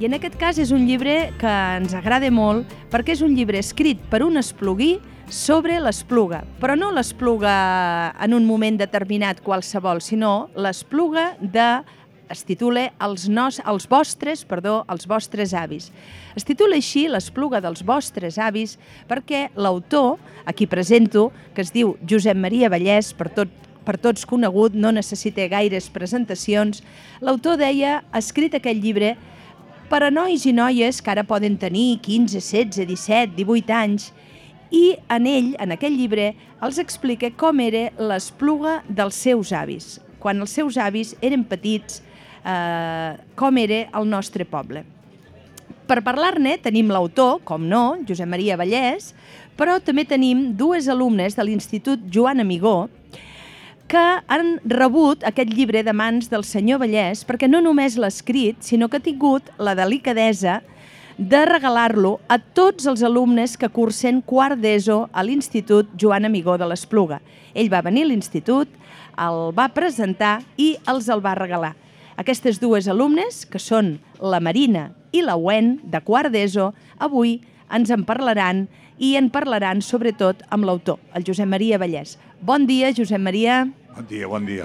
I en aquest cas és un llibre que ens agrada molt perquè és un llibre escrit per un espluguí sobre l'Espluga, però no l'Espluga en un moment determinat qualsevol, sinó l'Espluga es titula els vostres avis. Es titula així l'Espluga dels vostres avis perquè l'autor, a qui presento, que es diu Josep Maria Vallès, per tots conegut, no necessita gaires presentacions, l'autor deia, ha escrit aquest llibre per a nois i noies que ara poden tenir 15, 16, 17, 18 anys, i en aquell llibre, els explica com era l'Espluga dels seus avis, quan els seus avis eren petits, com era el nostre poble. Per parlar-ne tenim l'autor, com no, Josep Maria Vallès, però també tenim dues alumnes de l'Institut Joan Amigó que han rebut aquest llibre de mans del senyor Vallès perquè no només l'ha escrit, sinó que ha tingut la delicadesa de regalar-lo a tots els alumnes que cursen quart d'ESO a l'Institut Joan Amigó de l'Espluga. Ell va venir a l'institut, el va presentar i els el va regalar. Aquestes dues alumnes, que són la Marina i la Wen, de quart d'ESO, avui ens en parlaran i en parlaran sobretot amb l'autor, el Josep Maria Vallès. Bon dia, Josep Maria. Bon dia, bon dia.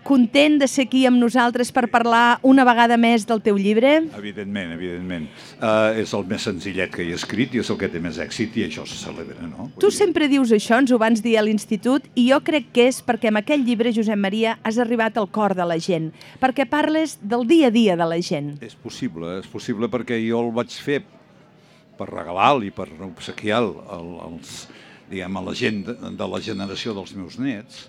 Content de ser aquí amb nosaltres per parlar una vegada més del teu llibre? Evidentment, evidentment. És el més senzillet que he escrit i és el que té més èxit i això se celebra, no? Tu sempre dius això, ens ho vans dir a l'institut, i jo crec que és perquè amb aquest llibre, Josep Maria, has arribat al cor de la gent, perquè parles del dia a dia de la gent. És possible perquè jo el vaig fer per regalar-li, per obsequiar a la gent de la generació dels meus nets,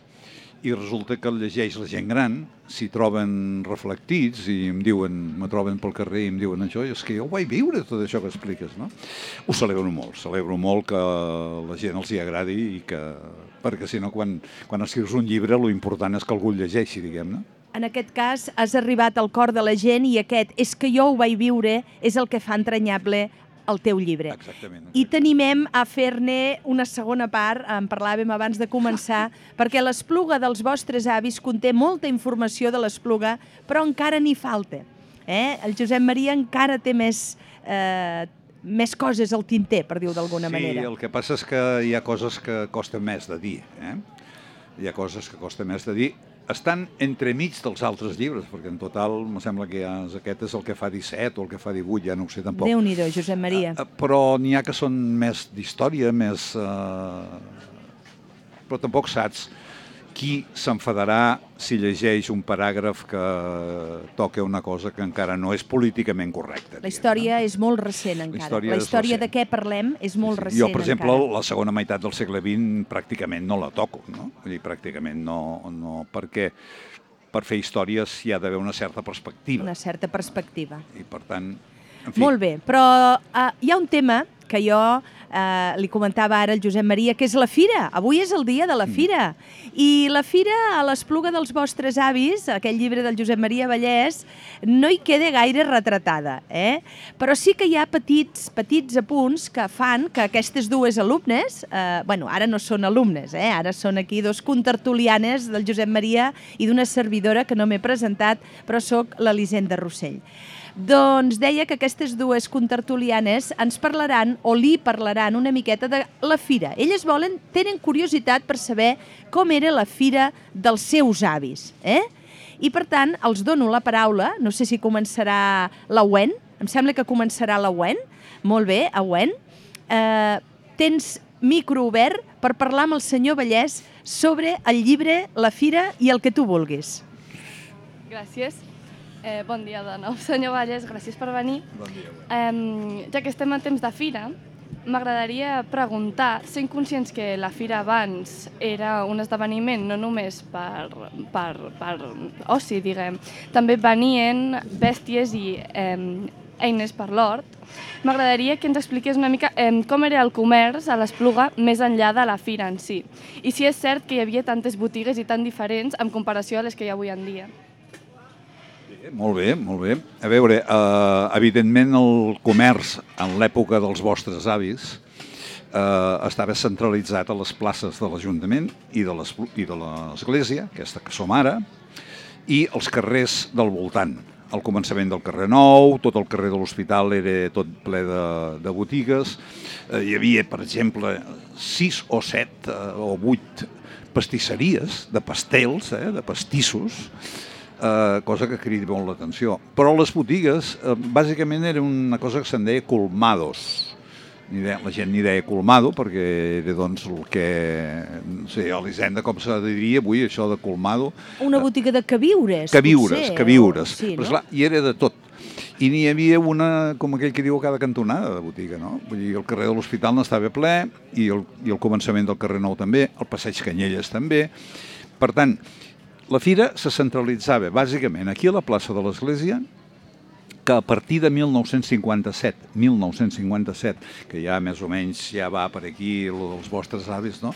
i resulta que el llegeix la gent gran, s'hi troben reflectits i me troben pel carrer i em diuen això, i és que jo ho vaig viure, tot això que expliques, no? Ho celebro molt que la gent els hi agradi i que... perquè si no, quan escrius un llibre, lo important és que algú el llegeixi, diguem-ne. En aquest cas, has arribat al cor de la gent i aquest és que jo ho vaig viure és el que fa entranyable el teu llibre. Exactament. I t'animem a fer-ne una segona part, en parlàvem abans de començar, perquè l'Espluga dels vostres avis conté molta informació de l'Espluga, però encara n'hi falta. El Josep Maria encara té més coses al tinter, per dir-ho d'alguna manera. Sí, el que passa és que hi ha coses que costen més de dir. Hi ha coses que costen més de dir. Estan entremig dels altres llibres, perquè en total em sembla que aquest és el que fa 17 o el que fa 18, ja no ho sé tampoc. Déu-n'hi-do, Josep Maria. Però n'hi ha que són més d'història, més... Però tampoc saps qui s'enfadarà si llegeix un paràgraf que toca una cosa que encara no és políticament correcta. La història és molt recent encara. La història de què parlem és molt recent encara. Jo, per exemple, la segona meitat del segle XX pràcticament no la toco, no? Vull dir, pràcticament no, perquè per fer històries hi ha d'haver una certa perspectiva. Una certa perspectiva. I per tant, en fi... Molt bé, però hi ha un tema que jo li comentava ara al Josep Maria, que és la fira. Avui és el dia de la fira. I la fira a l'Espluga dels vostres avis, aquell llibre del Josep Maria Vallès, no hi queda gaire retratada. Però sí que hi ha petits apunts que fan que aquestes dues alumnes, ara no són alumnes, ara són aquí dos contertulianes del Josep Maria i d'una servidora que no m'he presentat, però sóc l'Elisenda Rossell. Doncs deia que aquestes dues contertulianes ens parlaran o li parlaran una miqueta de la fira. Elles tenen curiositat per saber com era la fira dels seus avis. I per tant, els dono la paraula, no sé si començarà la Wen, em sembla que començarà la Wen. Molt bé, Wen. Tens micro obert per parlar amb el senyor Vallès sobre el llibre, la fira i el que tu vulguis. Gràcies. Bon dia de nou, senyor Vallès, gràcies per venir. Bon dia. Ja que estem en temps de fira, m'agradaria preguntar, sent conscients que la fira abans era un esdeveniment no només per oci, diguem, també venien bèsties i eines per l'hort, m'agradaria que ens expliqués una mica com era el comerç a l'Espluga més enllà de la fira en si. I si és cert que hi havia tantes botigues i tan diferents en comparació a les que hi ha avui en dia. Molt bé, molt bé. A veure, evidentment el comerç en l'època dels vostres avis estava centralitzat a les places de l'Ajuntament i de l'Església, aquesta que som ara, i els carrers del voltant. al començament del carrer Nou, tot el carrer de l'Hospital era tot ple de botigues. Hi havia, per exemple, 6 o 7 o 8 pastisseries de pastels, de pastissos, cosa que crida molt l'atenció. Però les botigues, bàsicament, era una cosa que se'n deia colmados. La gent n'hi deia colmado perquè era doncs el que, no sé, a l'Hisenda com se diria avui, això de colmado. Una botiga de queviures, potser. Queviures, sí, però no? esclar, i era de tot. I n'hi havia una, com aquell que diu, a cada cantonada de botiga, no? Vull dir, el carrer de l'Hospital n'estava ple i el començament del carrer Nou també, el passeig Canyelles també. Per tant, la fira se centralitzava bàsicament aquí a la plaça de l'Església, que a partir de 1957, que ja més o menys ja va per aquí el dels vostres avis, no?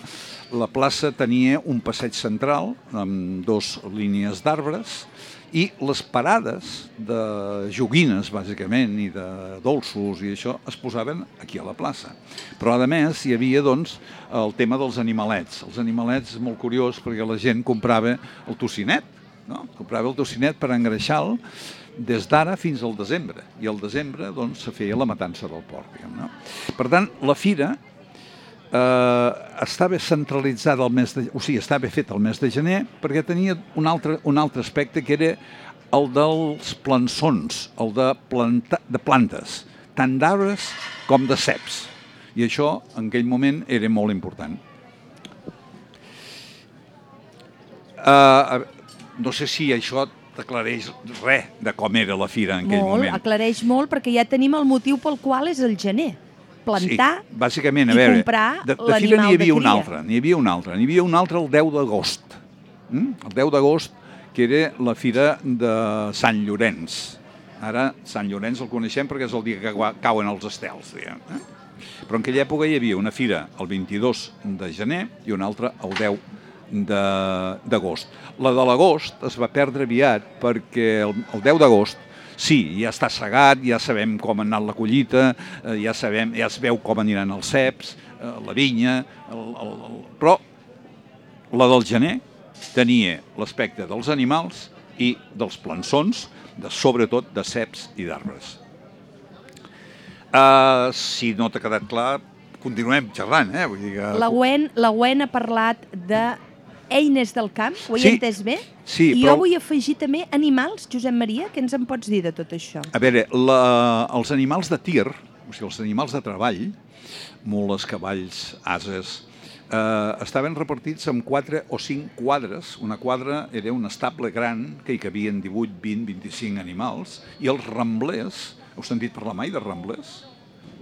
La plaça tenia un passeig central amb 2 línies d'arbres i les parades de joguines, bàsicament, i de dolços i això, es posaven aquí a la plaça. Però, a més, hi havia, doncs, el tema dels animalets. Els animalets és molt curiós perquè la gent comprava el tocinet, no? Comprava el tocinet per engreixar-lo des d'ara fins al desembre. I al desembre, doncs, se feia la matança del porc, diguem, no? Per tant, la fira estava centralitzada estava feta el mes de gener perquè tenia un altre aspecte que era el dels plançons, el de plantes, tant d'arbres com de ceps. I això, en aquell moment, era molt important. No sé si això t'aclareix res de com era la fira en aquell moment. Aclareix molt, perquè ja tenim el motiu pel qual és el gener. Plantar bàsicament, i comprar l'animal de cria. De fira n'hi havia un altre. N'hi havia un altre el 10 d'agost. El 10 d'agost, que era la fira de Sant Llorenç. Ara, Sant Llorenç el coneixem perquè és el dia que cauen els estels, diguem. Però en aquella època hi havia una fira el 22 de gener i una altra el 10 d'agost. La de l'agost es va perdre aviat perquè el 10 d'agost, sí, ja està segat, ja sabem com ha anat la collita, ja es veu com aniran els ceps, la vinya, però la del gener tenia l'aspecte dels animals i dels plançons, sobretot de ceps i d'arbres. Si no t'ha quedat clar, continuem xerrant. Vull dir que... La Gwen ha parlat de eines del camp, ho he entès bé? Sí, I jo vull afegir també animals, Josep Maria, què ens en pots dir de tot això? A veure, els animals de tir, o sigui, els animals de treball, mules, cavalls, ases, estaven repartits en 4 o 5 quadres. Una quadra era un estable gran que hi cabien 18, 20, 25 animals, i els ramblers, heu sentit parlar mai de ramblers?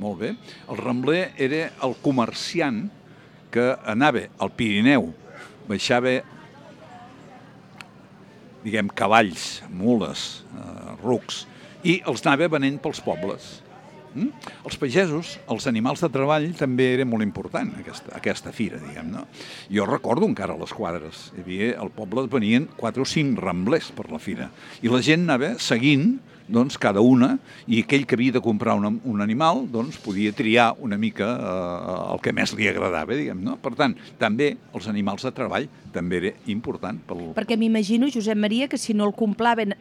Molt bé. El rambler era el comerciant que anava al Pirineu, baixava, diguem, cavalls, mules, rucs, i els anava venent pels pobles. Els pagesos, els animals de treball, també era molt important, aquesta fira, diguem, no? Jo recordo encara les quadres. Hi havia, al poble venien 4 o 5 ramblers per la fira, i la gent anava seguint, doncs, cada una, i aquell que havia de comprar un animal, doncs, podia triar una mica el que més li agradava, diguem, no? Per tant, també els animals de treball també era important. Perquè m'imagino, Josep Maria, que si no el compraven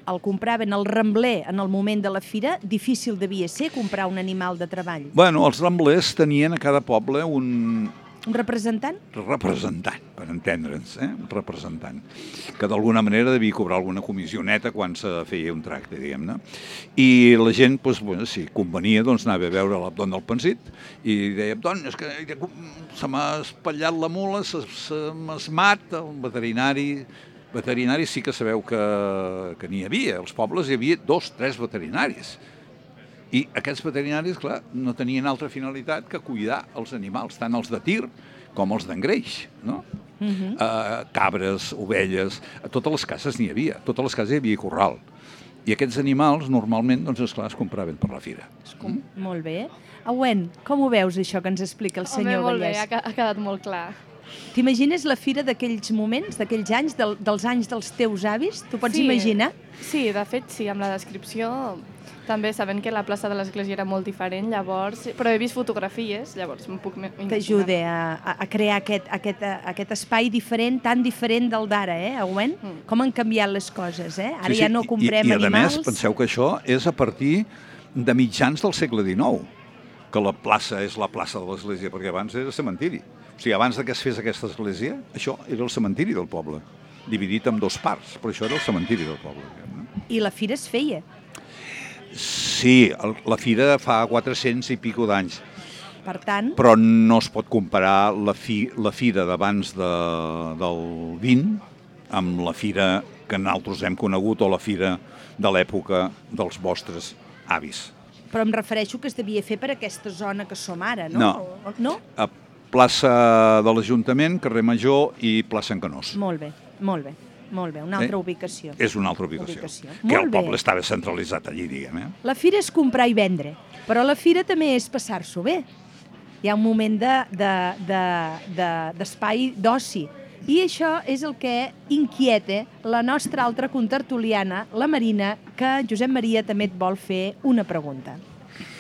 el rambler en el moment de la fira, difícil devia ser comprar un animal de treball. Bueno, els ramblers tenien a cada poble un representant? Representant, per entendre'ns, un representant, que d'alguna manera devia cobrar alguna comissioneta quan se feia un tracte, diguem-ne. I la gent, doncs, bueno, si convenia, doncs anava a veure l'Abdon del Pensit i deia, Abdon, és que se m'ha espatllat la mula, se m'esmat, el veterinari sí que sabeu que n'hi havia. Als pobles hi havia 2 o 3 veterinaris. I aquests veterinaris, clar, no tenien altra finalitat que cuidar els animals, tant els de tir com els d'engreix, no? Cabres, ovelles, a totes les cases n'hi havia, a totes les cases hi havia corral. I aquests animals, normalment, doncs, esclar, es compraven per la fira. Molt bé. Gwen, com ho veus, això que ens explica el senyor Vallès? Molt bé, ha quedat molt clar. T'imagines la fira d'aquells moments, d'aquells anys, dels anys dels teus avis? T'ho pots imaginar? Sí, de fet, sí, amb la descripció També sabent que la plaça de l'església era molt diferent, llavors, però he vist fotografies, llavors em puc imaginar. T'ajuda a crear aquest espai diferent, tan diferent del d'ara, Augüent? Com han canviat les coses, Ara ja no comprem animals. I a més, penseu que això és a partir de mitjans del segle XIX, que la plaça és la plaça de l'església, perquè abans era cementiri. O sigui, abans que es fes aquesta església, això era el cementiri del poble, dividit en 2 parts, però això era el cementiri del poble. I la fira es feia? Sí, la fira fa 400 i pico d'anys. Per tant... Però no es pot comparar la fira d'abans del 20 amb la fira que nosaltres hem conegut o la fira de l'època dels vostres avis. Però em refereixo que es devia fer per aquesta zona que som ara, no? No. A plaça de l'Ajuntament, carrer Major i plaça en Canós. Molt bé, molt bé. Molt bé, una altra ubicació. És una altra ubicació. Que el poble estava centralitzat allí, diguem. La fira és comprar i vendre, però la fira també és passar-s'ho bé. Hi ha un moment d'espai d'oci. I això és el que inquieta la nostra altra contertuliana, la Marina, que Josep Maria també et vol fer una pregunta.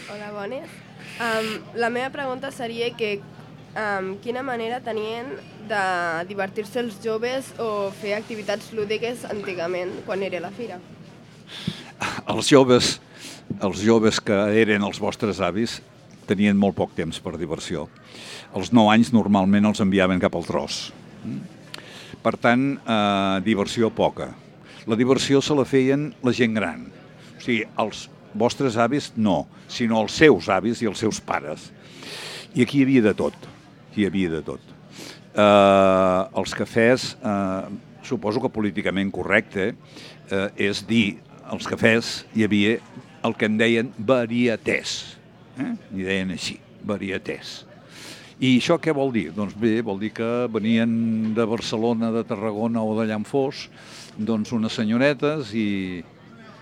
Hola, bones. La meva pregunta seria que quina manera tenien de divertir-se els joves o fer activitats lúdiques antigament, quan era la fira? Els joves que eren els vostres avis tenien molt poc temps per diversió. Els 9 anys normalment els enviaven cap al tros. Per tant, diversió poca. La diversió se la feien la gent gran. O sigui, els vostres avis no, sinó els seus avis i els seus pares. I aquí hi havia de tot. Els cafès, suposo que políticament correcte, és dir, als cafès hi havia el que en deien varietés. N'hi deien així, varietés. I això què vol dir? Doncs bé, vol dir que venien de Barcelona, de Tarragona o d'allà on fos, doncs unes senyoretes i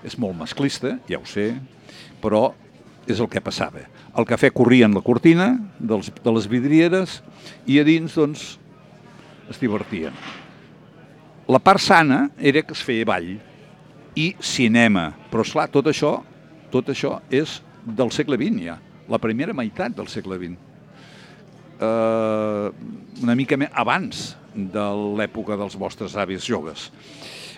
és molt masclista, ja ho sé, però és el que passava. El cafè corria en la cortina de les vidrieres i a dins, doncs, es divertien. La part sana era que es feia ball i cinema, però esclar, tot això és del segle XX ja, la primera meitat del segle XX. Una mica més abans de l'època dels vostres avis joves.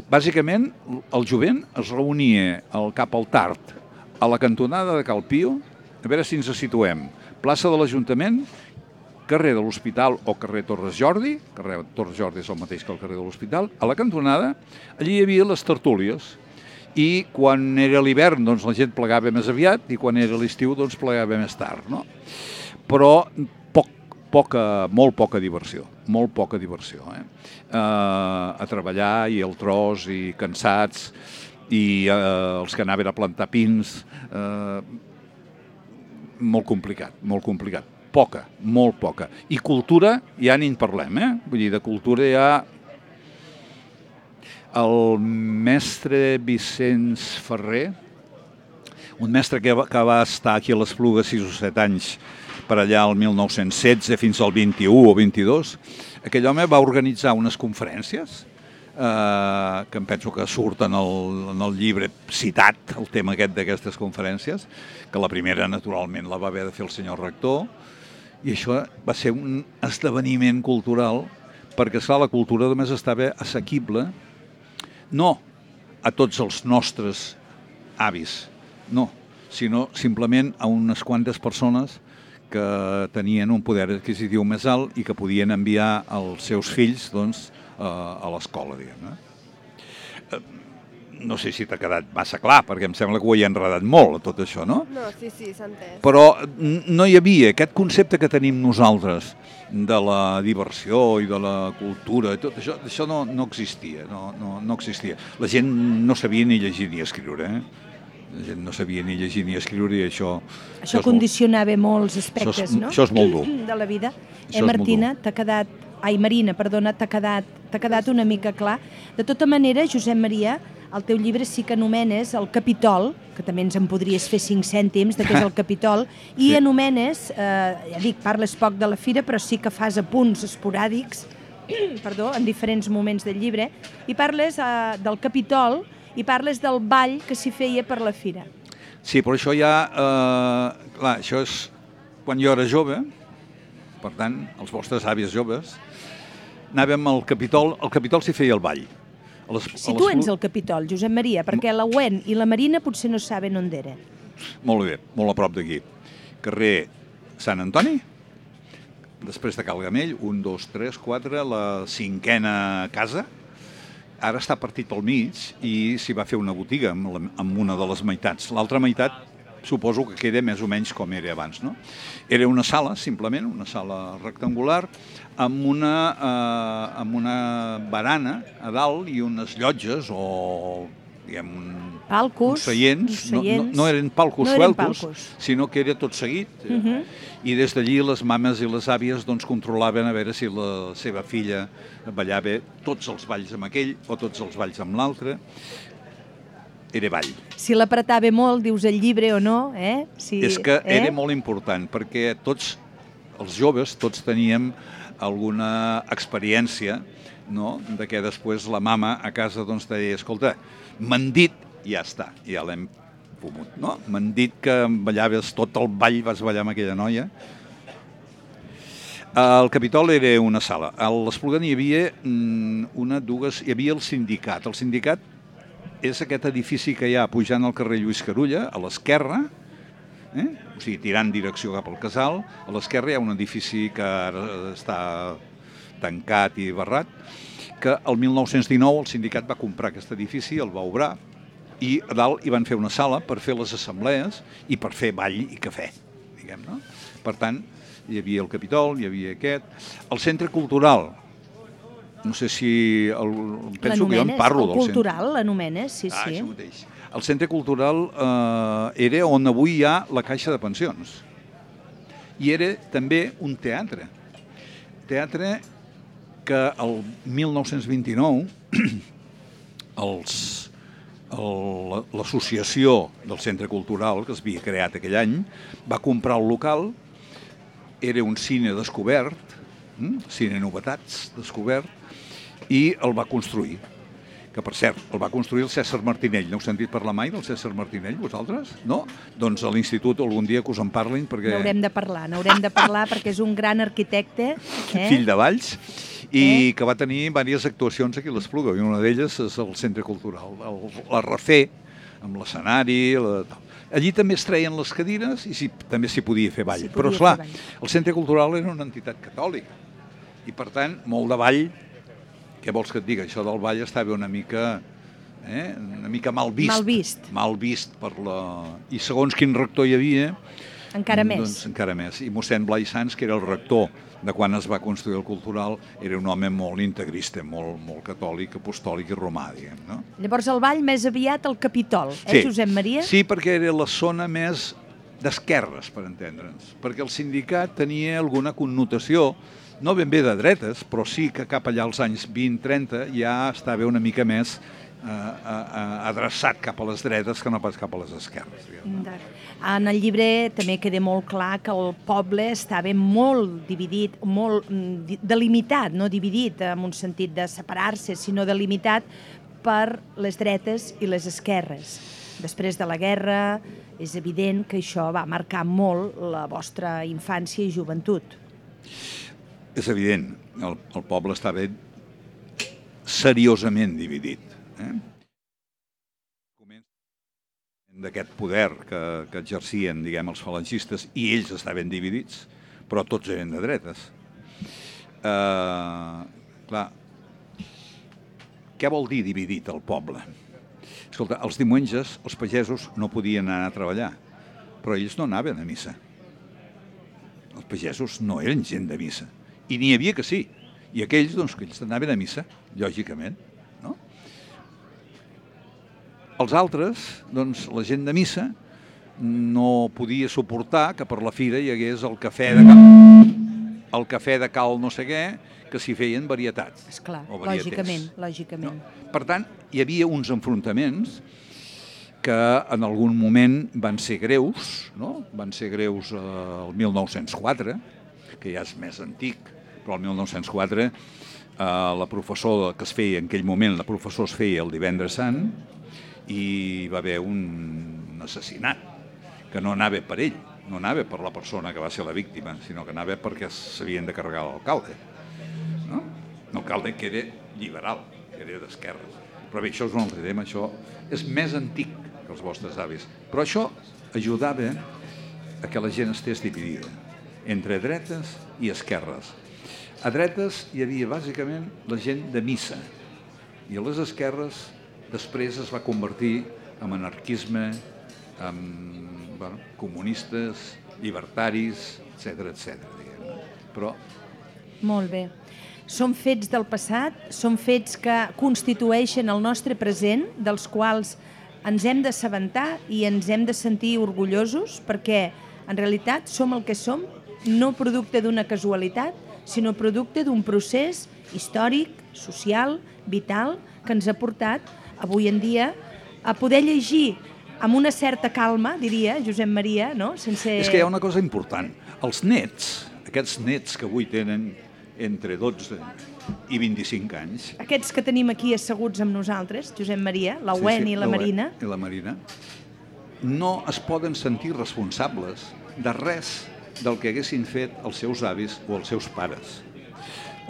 Bàsicament, el jovent es reunia cap al tard, a la cantonada de Cal Pio, a veure si ens situem, plaça de l'Ajuntament, carrer de l'Hospital o carrer Torres Jordi, carrer Torres Jordi és el mateix que el carrer de l'Hospital, a la cantonada, allí hi havia les tertúlies, i quan era l'hivern doncs la gent plegava més aviat i quan era l'estiu doncs plegava més tard, no? Però molt poca diversió, a treballar i el tros i cansats i els que anaven a plantar pins, molt complicat. Molt poca. I cultura ja ni en parlem, Vull dir, de cultura ja... El mestre Vicenç Ferrer, un mestre que va estar aquí a l'Espluga 6 o 7 anys, per allà al 1916 fins al 21 o 22, aquell home va organitzar unes conferències que em penso que surt en el llibre citat, el tema aquest d'aquestes conferències, que la primera, naturalment, la va haver de fer el senyor rector, i això va ser un esdeveniment cultural, perquè, esclar, la cultura només estava assequible, no a tots els nostres avis, no, sinó simplement a unes quantes persones que tenien un poder adquisitiu més alt i que podien enviar els seus fills doncs, a l'escola, diguem. No sé si t'ha quedat massa clar, perquè em sembla que ho he enredat molt, tot això, no? No, sí, s'ha entès. Però no hi havia aquest concepte que tenim nosaltres de la diversió i de la cultura, tot això no existia, no existia. La gent no sabia ni llegir ni escriure, La gent no sabia ni llegir ni escriure i això... Això condicionava molts aspectes, no? Això és molt dur. De la vida. Martina, t'ha quedat... Ai, Marina, perdona, t'ha quedat una mica clar. De tota manera, Josep Maria, el teu llibre sí que anomenes el Capitol, que també ens en podries fer 5 cèntims de què és el Capitol, i sí. Anomenes, ja dic, parles poc de la fira, però sí que fas apunts esporàdics, en diferents moments del llibre, i parles del Capitol i parles del ball que s'hi feia per la fira. Sí, però això ja... clar, això és quan jo era jove, per tant, els vostres àvies joves, anàvem al Capitol s'hi feia el ball. Situa'ns al Capitol, Josep Maria, perquè la Wen i la Marina potser no saben on era. Molt bé, molt a prop d'aquí. Carrer Sant Antoni, després de Cal Gamell, 1, 2, 3, 4, la 5a casa. Ara està partit pel mig i s'hi va fer una botiga amb una de les meitats. L'altra meitat suposo que queda més o menys com era abans, no? Era una sala, simplement, una sala rectangular, amb una barana a dalt i unes llotges o, diguem, uns seients. No eren palcos sueltos, sinó que era tot seguit. I des d'allí les mames i les àvies doncs, controlaven a veure si la seva filla ballava tots els balls amb aquell o tots els balls amb l'altre. Era ball. Si l'apretava molt, dius el llibre o no, És que era molt important, perquè tots els joves, tots teníem alguna experiència, no?, de què després la mama a casa doncs, deia, escolta, m'han dit, ja està, ja l'hem fumut, no? M'han dit que ballaves tot el ball, vas ballar amb aquella noia. El Capitol era una sala. A l'Espluga hi havia hi havia el sindicat. El sindicat és aquest edifici que hi ha pujant al carrer Lluís Carulla, a l'esquerra, o sigui, tirant direcció cap al Casal. A l'esquerra hi ha un edifici que ara està tancat i barrat, que el 1919 el sindicat va comprar aquest edifici, el va obrar, i a dalt hi van fer una sala per fer les assemblees i per fer ball i cafè, diguem, no? Per tant, hi havia el Capitol, hi havia aquest. El centre cultural, no sé si... penso que jo en parlo del centre. El cultural l'anomenes, sí. Això mateix. El centre cultural era on avui hi ha la Caixa de Pensions. I era també un teatre. Teatre que el 1929 l'associació del Centre Cultural, que es havia creat aquell any, va comprar el local, era un cine descobert, cine novetats descobert, i el va construir. Que, per cert, el va construir el César Martinell. No heu sentit parlar mai del César Martinell, vosaltres? No? Doncs a l'institut algun dia que us en parlin, perquè... N'haurem de parlar perquè és un gran arquitecte. Fill de Valls, i que va tenir diverses actuacions aquí a l'Espluga, i una d'elles és el Centre Cultural. La refé, amb l'escenari... Allí també es treien les cadires i també s'hi podia fer ball. Però, esclar, el Centre Cultural era una entitat catòlica, i, per tant, molt de ball. Què vols que et digui? Això del ball estava una mica mal vist. Mal vist per la... I segons quin rector hi havia... Encara més. Doncs encara més. I mossèn Blai Sans, que era el rector de quan es va construir el Cultural, era un home molt integrista, molt catòlic, apostòlic i romà, diguem, no? Llavors el ball més aviat al Capitol, Josep Maria? Sí, perquè era la zona més d'esquerres, per entendre'ns, perquè el sindicat tenia alguna connotació, no ben bé de dretes, però sí que cap allà als anys 20-30 ja estava una mica més adreçat cap a les dretes que no pas cap a les esquerres. En el llibre també queda molt clar que el poble estava molt dividit, molt delimitat, no dividit en un sentit de separar-se, sinó delimitat per les dretes i les esquerres. Després de la guerra és evident que això va marcar molt la vostra infància i joventut. És evident, el poble estava seriosament dividit. D'aquest poder que exercien, diguem, els falangistes, i ells estaven dividits, però tots eren de dretes. Clar, què vol dir dividit el poble? Escolta, els diumenges els pagesos no podien anar a treballar, però ells no anaven a missa. Els pagesos no eren gent de missa, i n'hi havia que sí, i aquells, doncs, que ells anaven a missa, lògicament. Els altres, doncs, la gent de missa, no podia suportar que per la fira hi hagués el cafè de cal no sé què, que s'hi feien varietats. Esclar, lògicament. Per tant, hi havia uns enfrontaments que en algun moment van ser greus, no? Van ser greus el 1904, que ja és més antic, però el 1904 la professora que es feia en aquell moment, la professora es feia el Divendres Sant, i va haver un assassinat que no anava per ell, no anava per la persona que va ser la víctima, sinó que anava perquè s'havien de carregar l'alcalde. No? L'alcalde que era liberal, que era d'esquerres. Però bé, això és un altre tema, això és més antic que els vostres avis. Però això ajudava a que la gent estés dividida entre dretes i esquerres. A dretes hi havia bàsicament la gent de missa i a les esquerres després es va convertir en anarquisme, en comunistes, llibertaris, etc. Però... Molt bé. Són fets del passat, són fets que constitueixen el nostre present, dels quals ens hem d'assabentar i ens hem de sentir orgullosos, perquè en realitat som el que som, no producte d'una casualitat, sinó producte d'un procés històric, social, vital, que ens ha portat avui en dia a poder llegir amb una certa calma, diria Josep Maria, no? Sense... És que hi ha una cosa important. Els nets, aquests nets que avui tenen entre 12 i 25 anys... Aquests que tenim aquí asseguts amb nosaltres, Josep Maria, la Wen i la Marina... I la Marina, no es poden sentir responsables de res del que haguessin fet els seus avis o els seus pares.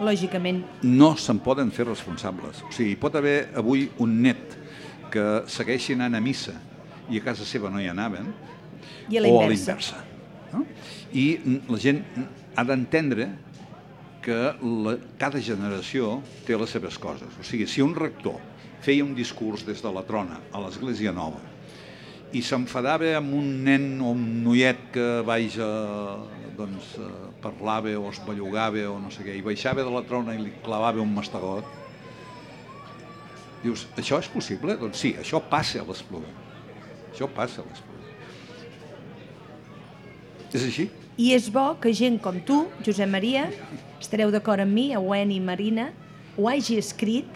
Lògicament. No se'n poden fer responsables. O sigui, pot haver avui un net que segueixi anant a missa i a casa seva no hi anaven, I a la inversa. No? I la gent ha d'entendre que cada generació té les seves coses. O sigui, si un rector feia un discurs des de la trona a l'Església Nova i s'enfadava amb un nen o un noiet que parlava o es bellugava o no sé què, i baixava de la trona i li clavava un mastegot, dius, això és possible? Doncs sí, això passa a l'Espluga. Això passa a l'Espluga. És així? I és bo que gent com tu, Josep Maria, estareu d'acord amb mi, Wen i Marina, ho hagi escrit,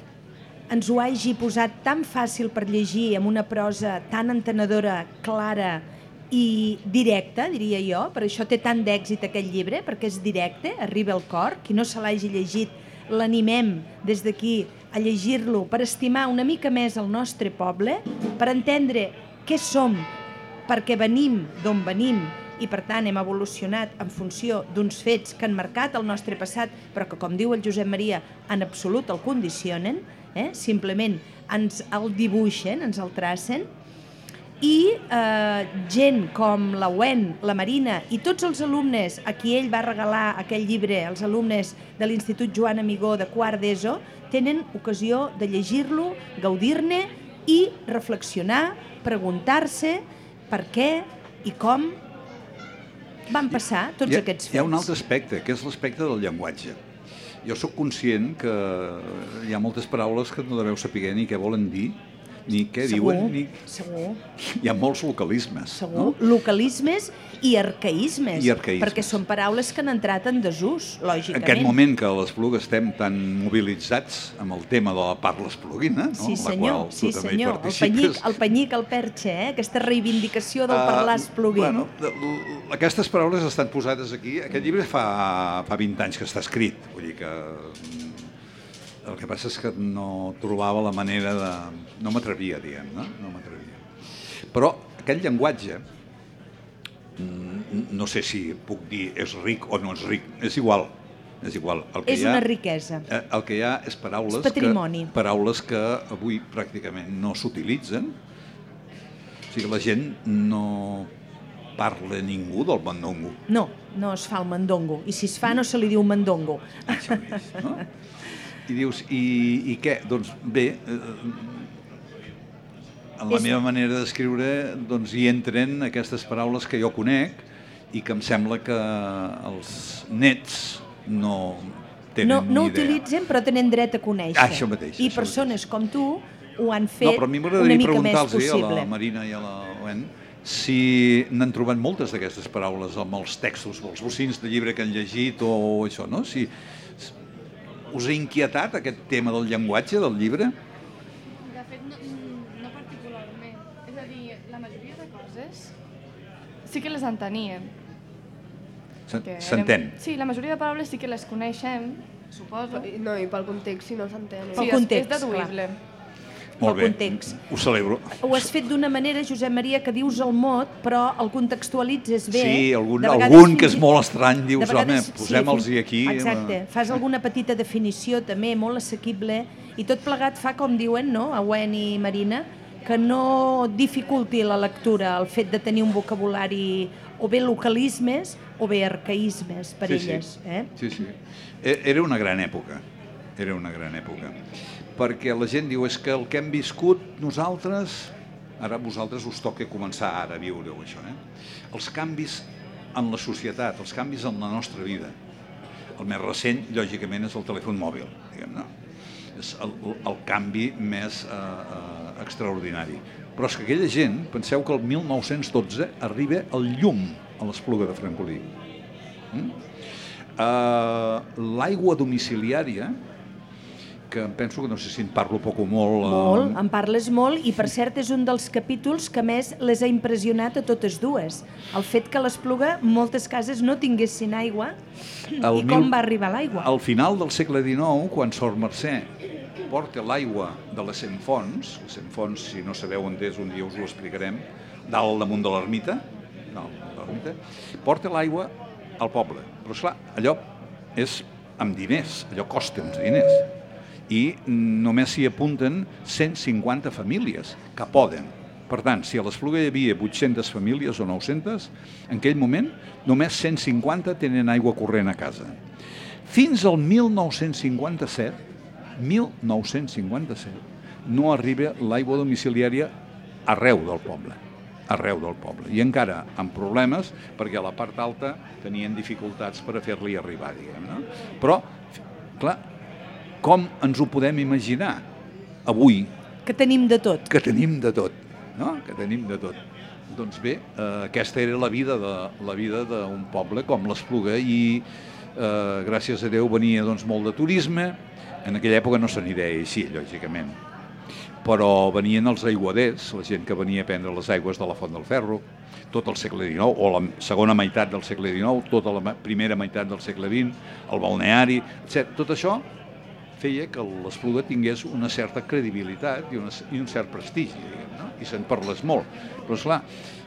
ens ho hagi posat tan fàcil per llegir, amb una prosa tan entenedora, clara i directa, diria jo. Per això té tant d'èxit aquest llibre, perquè és directe, arriba al cor. Qui no se l'hagi llegit, l'animem des d'aquí a llegir-lo per estimar una mica més el nostre poble, per entendre què som, perquè venim d'on venim, i per tant hem evolucionat en funció d'uns fets que han marcat el nostre passat, però que, com diu el Josep Maria, en absolut el condicionen, simplement ens el dibuixen, ens el tracen, i gent com la Wen, la Marina i tots els alumnes a qui ell va regalar aquell llibre, els alumnes de l'Institut Joan Amigó de quart d'ESO, tenen ocasió de llegir-lo, gaudir-ne i reflexionar, preguntar-se per què i com van passar tots aquests fets. Hi ha un altre aspecte, que és l'aspecte del llenguatge. Jo sóc conscient que hi ha moltes paraules que no deveu saber ni què volen dir, ni què diuen. Segur. Hi ha molts localismes. Segur. No? Localismes i arcaïsmes. Perquè són paraules que han entrat en desús, lògicament. En aquest moment que a l'Espluga estem tan mobilitzats amb el tema de la parla espluguina, no? Sí, senyor. Sí, senyor. El penyit, el perxe, aquesta reivindicació del parlar espluguí. Aquestes paraules estan posades aquí. Aquest llibre fa 20 anys que està escrit. Vull dir que... El que passa és que no trobava la manera de... No m'atrevia, diguem, no? No m'atrevia. Però aquest llenguatge, no sé si puc dir és ric o no és ric, és igual. És igual. És una riquesa. El que hi ha és paraules, paraules que avui pràcticament no s'utilitzen. O sigui, la gent no parla ningú del mandongo. No, no es fa el mandongo. I si es fa no se li diu mandongo. Això és, no? I dius, i què? Doncs bé, en la meva manera d'escriure hi entren aquestes paraules que jo conec i que em sembla que els nets no tenen ni idea. No utilitzen, però tenen dret a conèixer. Això mateix. I persones com tu ho han fet una mica més possible. No, però a mi m'agradaria preguntar-los a la Marina i a la Wen si n'han trobat moltes d'aquestes paraules amb els textos, els bocins de llibre que han llegit o això, no? Si us ha inquietat aquest tema del llenguatge del llibre? De fet, no particularment. És a dir, la majoria de coses sí que les enteníem. S'entén? Sí, la majoria de paraules sí que les coneixem, suposo. No, i pel context, si no s'entén. Sí, és deduïble. Molt el bé, context. ho celebro. Ho has fet d'una manera, Josep Maria, que dius el mot, però el contextualitzes bé. Sí, De vegades algun que fins és i- molt estrany, de dius, vegades, home, posem-los-hi aquí. Exacte, fas alguna petita definició també, molt assequible, i tot plegat fa, com diuen, no?, Awen i Marina, que no dificulti la lectura el fet de tenir un vocabulari o bé localismes o bé arcaïsmes per elles. Sí, sí. Era una gran època, perquè la gent diu, és que el que hem viscut nosaltres, ara a vosaltres us toca començar ara a viure-ho, això, els canvis en la societat, els canvis en la nostra vida. El més recent, lògicament, és el telèfon mòbil, diguem-ne. És el canvi més extraordinari. Però és que aquella gent, penseu que el 1912 arriba el llum a l'Espluga de Francolí. L'aigua domiciliària, que em penso que no sé si en parlo poc o molt... Molt, en parles molt, i per cert és un dels capítols que més les ha impressionat a totes dues. El fet que l'Espluga moltes cases no tinguessin aigua i com va arribar l'aigua. Al final del segle XIX, quan Sor Mercè porta l'aigua de les Centfonts, si no sabeu on és, un dia us ho explicarem, dalt damunt de l'ermita, porta l'aigua al poble. Però esclar, allò és amb diners, allò costa uns diners. I només s'hi apunten 150 famílies que poden. Per tant, si a l'Espluga hi havia 800 famílies o 900, en aquell moment només 150 tenen aigua corrent a casa. Fins al 1957, no arriba l'aigua domiciliària arreu del poble. I encara amb problemes, perquè a la part alta tenien dificultats per a fer-li arribar, diguem-ne. Però, clar, com ens ho podem imaginar avui? Que tenim de tot. No? Que tenim de tot. Doncs bé, aquesta era la vida d'un poble com l'Espluga i gràcies a Déu venia molt de turisme. En aquella època no se n'hi deia així, lògicament. Però venien els aiguaders, la gent que venia a prendre les aigües de la Font del Ferro, tot el segle XIX, o la segona meitat del segle XIX, tota la primera meitat del segle XX, el balneari, etc. Tot això feia que l'Espluga tingués una certa credibilitat i un cert prestigi, diguem, i se'n parles molt. Però, esclar,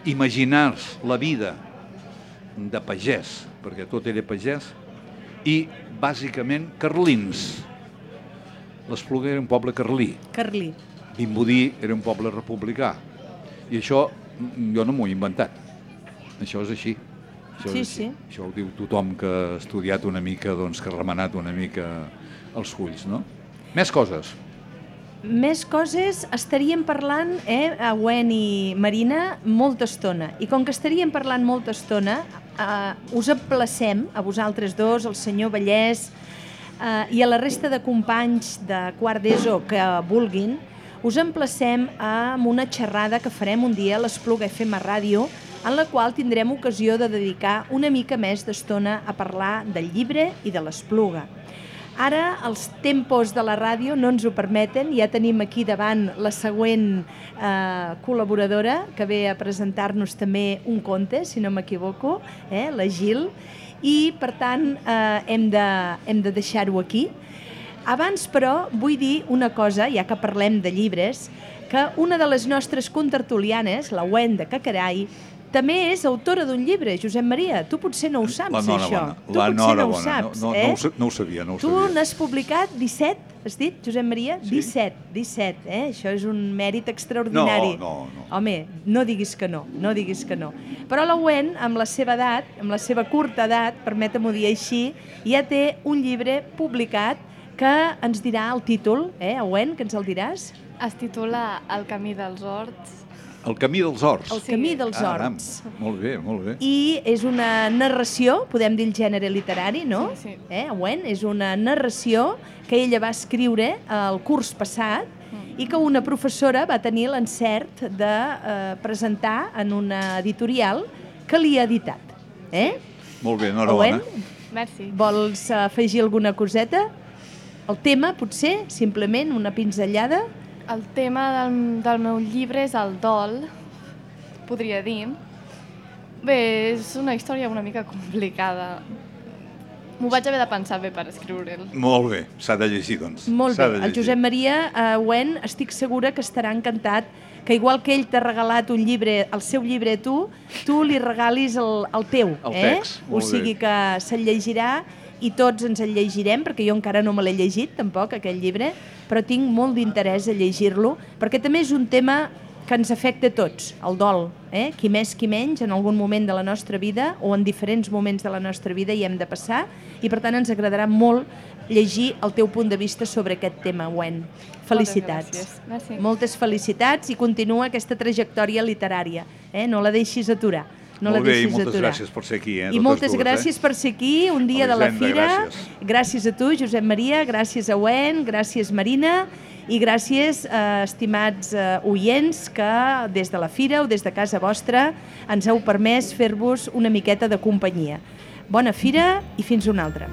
imaginar-se la vida de pagès, perquè tot era pagès, i, bàsicament, carlins. L'Espluga era un poble carlí. Vimbodí era un poble republicà. I això jo no m'ho he inventat. Això és així. Això ho diu tothom que ha estudiat una mica, que ha remenat una mica els fulls, no? Més coses. Més coses, estaríem parlant, Awen i Marina, molta estona. I com que estaríem parlant molta estona, us emplacem, a vosaltres dos, al senyor Vallès i a la resta de companys de quart d'ESO que vulguin, us emplacem amb una xerrada que farem un dia a l'Espluga FM Ràdio, en la qual tindrem ocasió de dedicar una mica més d'estona a parlar del llibre i de l'Espluga. Ara els tempos de la ràdio no ens ho permeten, ja tenim aquí davant la següent col·laboradora que ve a presentar-nos també un conte, si no m'equivoco, la Gil, i per tant hem de deixar-ho aquí. Abans, però, vull dir una cosa, ja que parlem de llibres, que una de les nostres contertulianes, la Awen de Cacarai, també és autora d'un llibre, Josep Maria. Tu potser no ho saps, això. No ho sabia. Tu n'has publicat 17, has dit, Josep Maria? 17, Això és un mèrit extraordinari. No. Home, no diguis que no. Però l'Awen, amb la seva edat, amb la seva curta edat, permetem-ho dir així, ja té un llibre publicat que ens dirà el títol, Awen, que ens el diràs? Es titula El camí dels horts. El camí dels horts. El camí dels horts. Molt bé. I és una narració, podem dir el gènere literari, no? Sí. Awen, és una narració que ella va escriure el curs passat i que una professora va tenir l'encert de presentar en una editorial que li ha editat. Molt bé, enhorabona. Merci. Vols afegir alguna coseta? El tema, potser, simplement una pinzellada? El tema del meu llibre és el dol, podria dir. Bé, és una història una mica complicada. M'ho vaig haver de pensar bé per escriure'l. Molt bé, s'ha de llegir, doncs. Molt S'ha bé. de El llegir. Josep Maria Wen estic segura que estarà encantat que igual que ell t'ha regalat un llibre, el seu llibre a tu li regalis el teu. El text, O molt sigui bé. que se'l llegirà i tots ens el llegirem, perquè jo encara no me l'he llegit, tampoc, aquell llibre, però tinc molt d'interès a llegir-lo, perquè també és un tema que ens afecta a tots, el dol, qui més, qui menys, en algun moment de la nostra vida o en diferents moments de la nostra vida hi hem de passar, i per tant ens agradarà molt llegir el teu punt de vista sobre aquest tema, Wen. Felicitats. Gràcies. Moltes felicitats i continua aquesta trajectòria literària, no la deixis aturar. No Molt la bé, i deixis moltes aturar. gràcies per ser aquí. I moltes gràcies per ser aquí, un dia de la Elisenda, Fira. gràcies. Gràcies a tu, Josep Maria, gràcies a Wen, gràcies Marina, i gràcies, estimats oients, que des de la Fira o des de casa vostra ens heu permès fer-vos una miqueta de companyia. Bona Fira i fins una altra.